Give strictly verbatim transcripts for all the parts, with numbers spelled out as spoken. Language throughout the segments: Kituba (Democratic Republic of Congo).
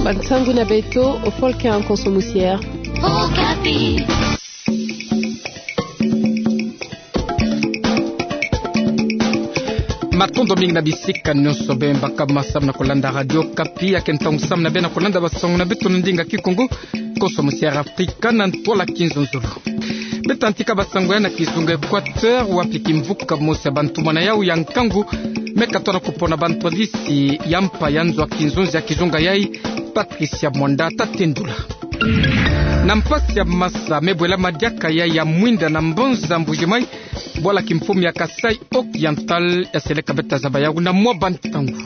Bansangu na beto, o folke nkonso musiere. Okapi. Matondo mingi na bisika nyonso beno baka ma samu na kolanda Radio Okapi, ya ke ntangu samu na beno na kolanda bansangu na beto na ndinga Kikongo, nkonso musiere Afrika na ntwala kinzonzolo. Beta ntika bansangu ya na kizunga Equateur, wapi kimvuka mosi ya bantumwa na yau ya nkangu me katoa na kupona bantwadisi ya mpa ya nzo ya kinzonzi ya kizunga yai, Patricia Mwanda ta tendula. Na mpasi ya masa me bwela madiaka yai ya mwinda na mbanza Mbuji-Mayi, bwala kimfumu ya Kasaï Occidental ya seleka beta zaba yau na mwa bantangu.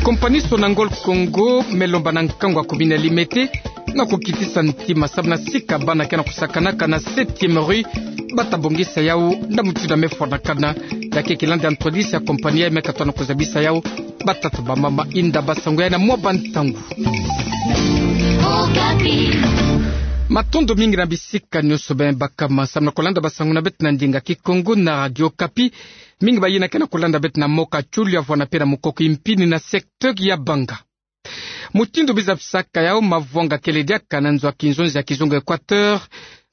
Kompani Sonangol Congo me lomba na nkangu ya commune ya Limete na kukitisa ntima samu na sika bana ke na kusakanaka na septième rue, bata bongisa yau na mutindu ya me fwanakana. Ya ke kilandi ya ntwadisi ya kompani yai me katoa na kuzabisa yau. Batata, bamama, inda, bansangu yai na mwa bantangu. Matondo mingi na bisika nyonso beno baka ma samu na kolanda bansangu na beto na ndinga Kikongo na Radio Okapi. Mingi bayina ke na kolanda beto na Mokachulu ya vwanda pe na Mukoko-Mpini na secteur ya Banga. Mutindu biza bisaka yau, mavwanga kele diaka na nzo ya kinzonzi ya kizunga Equateur,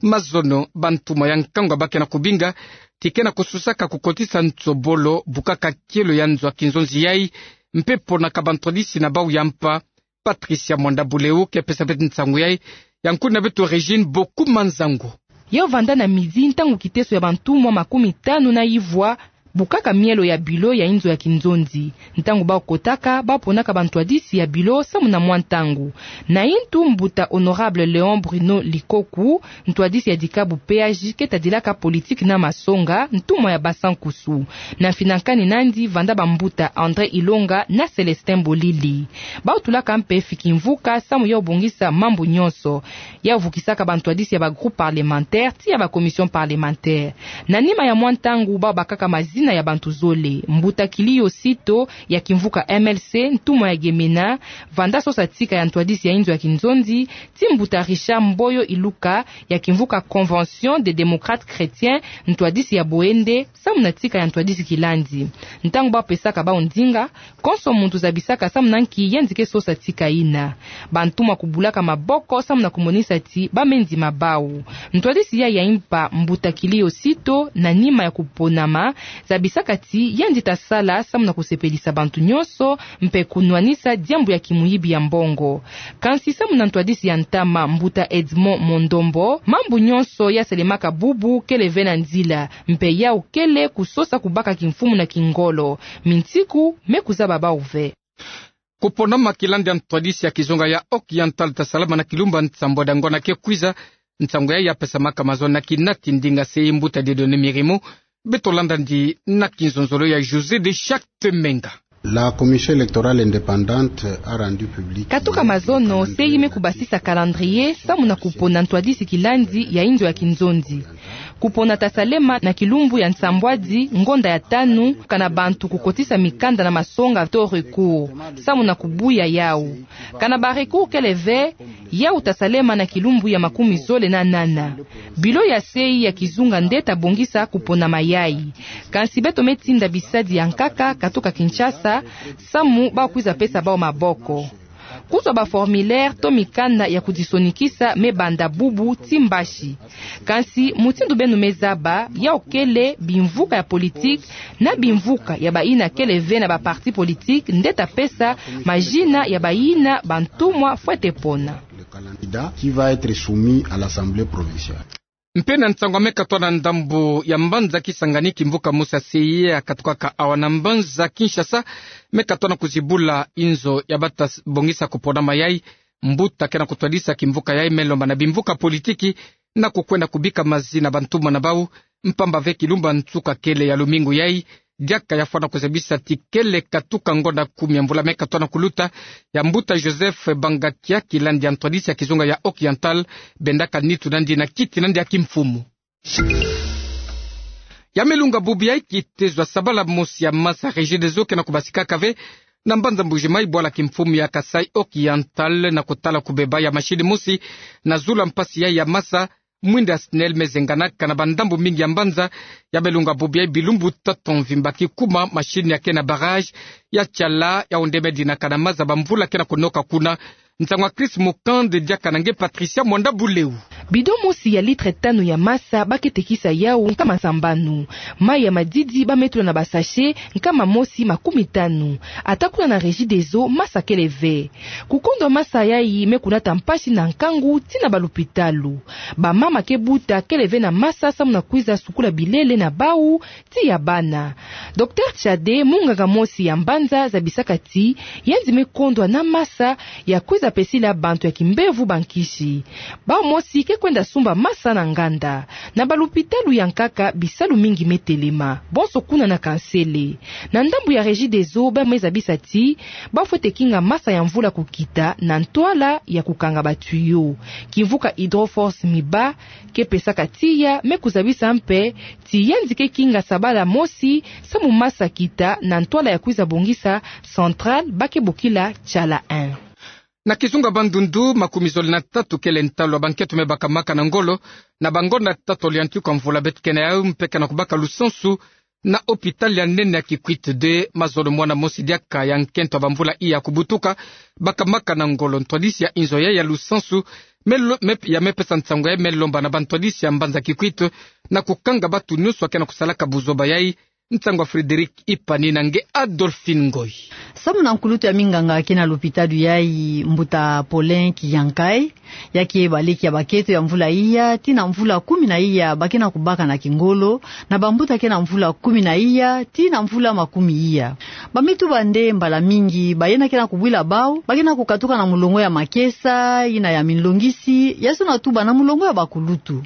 mazono bantumwa ya nkangu ba ke na kubinga ti ke na kususaka kukotisa nsobolo bukaka kielo ya nzo ya kinzonzi yai, mpe ponaka bantwadisi na bau ya mpa. Patricia Mwanda Buleu ke pesa beto nsangu yai, ya nkuni na beto Régine Boku Manzango. Yau vanda na midi ntangu kiteso ya bantumwa makumi tanu na ivwa bukaka mielo ya bilo ya inzo ya kinzonzi. Ntangu bau kotaka, bau ponaka bantwadisi ya bilo samu na mwa ntangu. Na intu mbuta Honorable Léon Bruno Likoku, ntwadisi ya dikabu P A J ke tadilaka politique na masonga, ntumwa ya Basa-Nkusu. Na finankani nandi vanda bambuta André Ilonga na Célestin Bolili. Bau tulaka mpe fiki mvuka samu yau bongisa mambu nyonso. Yau vukisaka bantwadisi ya ba groupes parlementaires tii ya ba commissions parlementaires. Na nima ya mwa ntangu bau bakaka mazina ya bantu zole. Mbuta Kiliyo Sito ya kimvuka M L C, ntumwa ya Gemena, vanda sosa tika ya ntwadisi ya inzo ya kinzonzi, tii mbuta Richard Mboyo Iluka ya kimvuka Convention des Démocrates Chrétiens, ntwadisi ya Boende, samu na tika ya ntwadisi kilandi. Ntangu bau pesaka bau ndinga, konso muntu zabisaka samu na nki yandi ke sosa tika yina. Bantumwa kubulaka maboko samu na kumonisa ti ba me ndima bau. Ntwadisi yai ya impa, mbuta Kiliyo Sito, na nima ya kuponama, zabisaka ti yandi tasala samu na kusepelisa bantu nyonso, mpe kunwanisa diambu ya kimuyibi ya mbongo. Kansi samu na ntwadisi ya ntama, mbuta Edmond Mondombo, mambu nyonso ya salemaka bubu kele ve na nzila, mpe yau kele kusosa kubaka kimfumu na kingolo. Mintiku me kuzaba bau ve. Kuponama kilandi ya ntwadisi ya kizunga ya Occidental tasalama na kilumbu ya nsambwadi ya ngonda ke kwiza. Nsangu yai ya pesamaka mazono na kinati ndinga se mbuta Dieudonné Mirimo. Beto landa yandi na kinzonzolo ya José de Chacte Menga. La Commission électorale indépendante a rendu public. Katuka mazono, C E I me kubasisa calendrier samu na kupona ntwadisi kilandi ya inzo ya kinzonzi. Kupona tasalema na kilumbu ya nsambwadi ngonda ya tanu, kana bantu kukotisa mikanda na masonga to recours samu na kubuya yau. Kana ba recours kele ve, yau tasalema na kilumbu ya makumi zole na nana. Bilo ya C E I ya kizunga nde tabongisa kuponama yai. Kansi beto me tinda bisadi ya nkaka katuka Kinshasa, samu bau kwiza pesa bau maboko. Kuzwa ba formulaire to mikanda ya kudisonikisa me banda bubu tii mbasi. Kansi mutindu beno me zaba, yau kele bimvuka ya politique na bimvuka ya bayina kele ve na ba partis politiques nde tapesa mazina ya bayina bantumwa fwete pona. Le candidat qui va être soumis à l'Assemblée provinciale. Mpe na nsangu ya me katoa na ndambu ya mbanza Kisangani, kimvuka mosi ya C E I ya katukaka awa na mbanza Kinshasa me katoa na kuzibula inzo ya bata s-, bongisa kuponama yai. Mbuta ke na kutwadisa kimvuka yai me lomba na bimvuka politiki na kukwenda kubika mazina bantumwa na bau, mpamba ve kilumbu ya nsuka kele ya lumingu yai, diaka ya fwana kuzabisa ti kele katuka ngonda kumi ya mvula me katoa na kuluta, ya mbuta Joseph Bangakia, kilandi ya ntwadisi ya kizunga ya Occidental, bendaka nitu nandi na kiti nandi ya kimfumu. Ya me lunga bubu yai, kitezo ya sabala mosi ya masa Regideso ke na kubasikaka ve na mbanza Mbuji-Mayi, bwala kimfumu ya Kasaï Occidental, na kutala kubeba ya machine mosi na zula mpasi yai ya masa, mwinda ya SNEL me zenganaka na bandambu mingi ya mbanza. Ya me lunga bubu yai, bilumbu tatu mvimba kikuma, machine ya ke na barrage ya tiala yau nde me dinaka na maza bamvula ke na kunoka kuna. Nsangu ya Chris Mukande diaka na nge Patricia Mwanda Buleu. Bidon mosi ya litre tanu ya masa ba ke tekisa yau nkama sambanu. Mai ya madidi ba me tula na basachet nkama mosi makumi tanu. Ata kuna na Regideso masa kele ve. Kukondwa masa yayi me kunata mpasi na nkangu tii na balupitalu. Bamama ke buta kele ve na masa samu na kwiza sukula bilele na bau tii ya bana. Docteur Tchade, munganga mosi ya mbanza, zabisaka ti yandi me kondwa na masa ya kwiza pesila bantu ya kimbevo bankisi. Bau mosi ke kwenda sumba masa na nganda. Na balupitalu ya nkaka bisalu mingi me telema, bonso kuna na Kansele. Na ndambu ya Regideso ba me zabisa ti ba fwete kinga masa ya mvula kukita na ntwala ya kukanga ba tuyau. Kimvuka Hydroforce Miba ke pesaka tiya me kuzabisa mpe ti yandi ke kinga sabala mosi samu masa kita na ntwala ya kwiza bongisa centrale ba ke bokila Chala un. Na kizunga Bandundu, makumi zole na tatu kele ntalu ya bankento me bakamaka na ngolo na bangonda tatolo ya ntuka mvula beto ke na yau mpe ke na kubaka lusansu na hôpital ya nene ya Kikwit deux. Mazono mwana mosi diaka ya nkento ya bamvula iya kubutuka bakamaka na ngolo. Ntwadisi ya inzo yayi ya lusansu me lo-, me, ya me pesa nsangu yayi me lomba na bantwadisi ya mbanza Kikwit na kukanga batu nyonso ya ke na kusalaka buzoba yayi. Nsangu ya Frédéric Ipani na nge Adolphine Ngoy. Samu na nkulutu ya minganga ke na lupitalu yayi, mbuta Paulin Kiyankai, ya ke baleki ya baketo ya mvula iya tii na mvula kumi na iya ba ke na kubaka na kingolo, na bambuta ke na mvula kumi na iya tii na mvula makumi iya. Ba me tuba nde mbala mingi bayina ke na kubwila bau ba ke na kukatuka na mulongo ya makesa, yina ya minlongisi, ya zona tuba na mulongo ya bakulutu.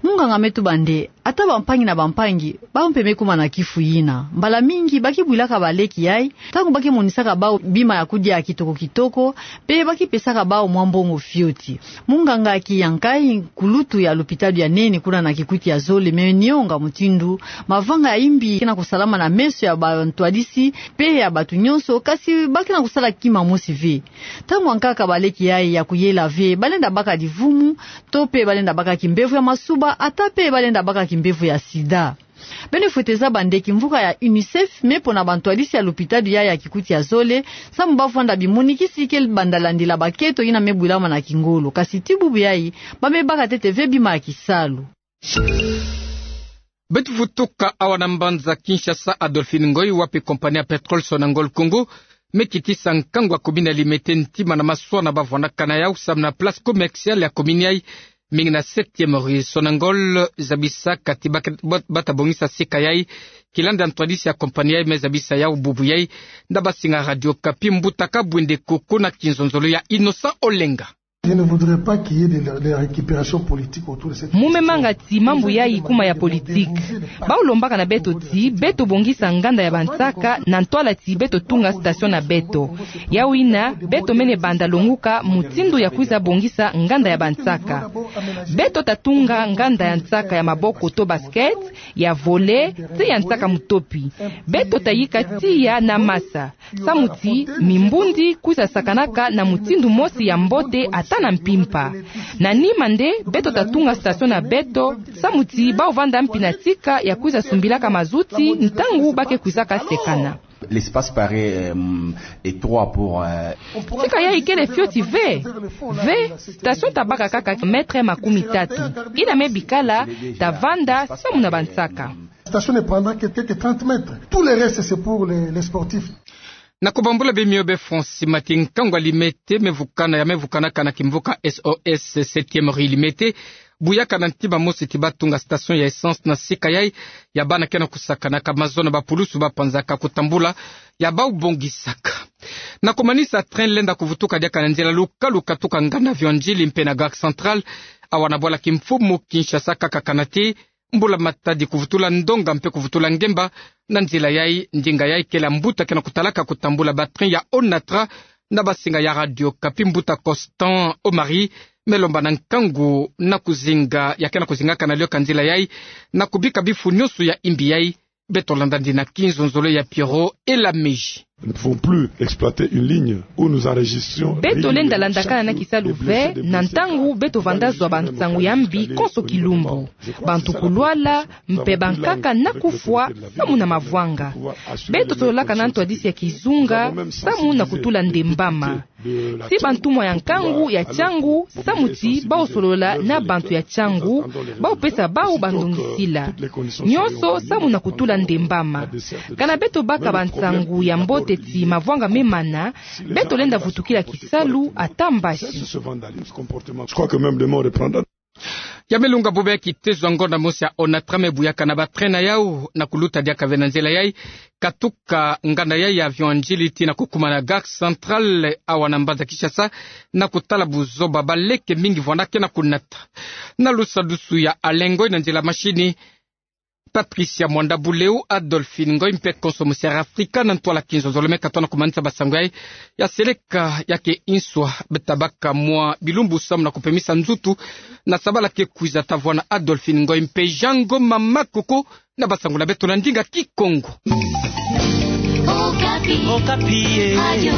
Munganga me tuba nde ata bampangi na bampangi, bau mpe me kuma na kifu yina. Mbala mingi ba ke bwilaka baleki yayi ntangu ba ke monisaka bau bima ya kudia kitoko kitoko, mpe ba ke pesaka bau mwa mbongo fioti. Munganga Kiyankai, nkulutu ya lupitalu ya nene kuna na Kikwit ya zole, me nionga mutindu mavanga ya imbi ke na kusalama na meso ya bantwadisi mpe ya batu nyonso, kasi ba ke na kusala kima mosi ve. Ntangu ya nkaka baleki yayi ya kuyela ve, ba lenda baka divumu, to mpe ba lenda baka kimbevo ya masuba, ata mpe ba lenda baka kimbevo ya sida. Beno fwete zaba nde kimvuka ya UNICEF me pona bantwadisi ya lupitalu yayi ya Kikwit ya zole, samu ba vwanda bimonikisi ke banda landila baketo yina me bwilama na kingolo. Kasi tii bubu yayi, ba me baka ntete ve bima ya kisalu. Beto vutuka awa na mbanza Kinshasa, Adolphine Ngoy, wapi compagnie ya pétrole Sonangol Congo me kitisa nkangu ya commune ya Limete ntima na maswa na ba vwandaka na yau samu na place commerciale ya commune yayi, mingi na septième rue. Sonangol zabisaka ti ba ke-, ba-, ba ta bongisa sika yayi, kilanda ntwadisi ya compagnie yayi me zabisa yau bubu yayi na basinga Radio Okapi. Mbuta Kabwende Koko na kinzonzolo ya Innocent Olenga. Je ne voudrais pas qu'il y ait de, de récupération politique autour de cette question. Mu me manga ti mambu yayi kuma ya politique. Bau lombaka na beto ti beto bongisa nganda ya bansaka na ntwala ti beto tunga station na beto. Yau yina, beto mene banda longuka mutindu ya kwiza bongisa nganda ya bansaka. Beto ta tunga nganda ya nsaka ya maboko to basket, ya volley, ti ya nsaka mutopi. Beto ta yika tiya na masa, samu ti mimbundi kwiza sakanaka na mutindu mosi ya mbote ata na mpimpa. Na nima nde, beto ta tunga station na beto, samu ti bau vanda mpi na tika ya kwiza sumbilaka mazuti ntangu ba ke kwizaka sekana. L'espace paraît, euh, étroit pour, euh, tika yayi kele fioti ve. Ve, station ta baka kaka mètre makumi tatu. Yina me bikala, ta vanda samu na bansaka. Station ne prendra que quelques trente mètres. Tout le reste, c'est pour les, les sportifs. Na kubambula bimio be France, mati nkangu ya Limete me vukana, ya me vukanaka na kimvuka S O S septième rue Limete, buyaka na ntima mosi ti ba tunga station ya essence na sika yayi, ya bana ke na kusakanaka. Mazono ba pulusu ba panzaka kutambula ya bau bongisaka. Na kumanisa, train lenda kuvutuka diaka na nzila luka luka tuka nganda Vieux Ndjili mpe na Gare Centrale, awa na bwala kimfumu Kinshasa kaka kana ti Mbula Matadi kuvutula ndonga mpe kuvutula ngemba na nzila yayi. Ndinga yayi kele ya mbuta ke na kutalaka kutambula ba train ya Onatra. Na basinga ya Radio Okapi, mbuta Constant Omari me lomba na nkangu na kuzinga ya ke na kuzingaka na lioka nzila yayi na kubika bifu nyonso ya imbi yayi. Beto landa ndi na kinzonzolo ya Pierrot Elameji. Beto lenda landakana na kisalu ve na ntangu beto vanda zwa bansangu ya mbi konso kilumbu. Bantu kulwala, mpe bankaka na kufwa samu na mavwanga. Beto sololaka na ntwadisi ya kizunga samu na kutula ndembama. Si bantumwa ya nkangu ya tiangu samu ti bau solola na bantu ya tiangu, bau pesa bau bandongisila nionso samu na kutula ndembama. Kana beto baka bansangu ya mbote ti mavwanga memana, beto lenda vutukila kisalu ata mbasi. Ya milunga bube kitezo ya ngonda mosi ya ONATRA me buyakana ba train na yau na kuluta diaka ve na nzela yai, katuka nganda yai ya avion N'djili tii na kukumana Gare Centrale awa na mbanza Kinshasa, na kutala buzoba baleke mingi vwanda ke na kunata. Na lusadusu ya Alain Ngoy, na nzela mashini Patricia Mwanda Buleu, Adolphine Ngoy mpe konso Musière Africa, na ntwala kinzo zolome ka tona kumanisa basangu yai. Ya seleka ya ke inswa beta baka mwa bilumbu samu na kupemisa nzutu na sabala ke kwiza ta vwa na Adolphine Ngoy mpe Jean Ngoma Makoko na basangu na beto na ndinga Kikongo. Okapi. Okapi, eh. Radio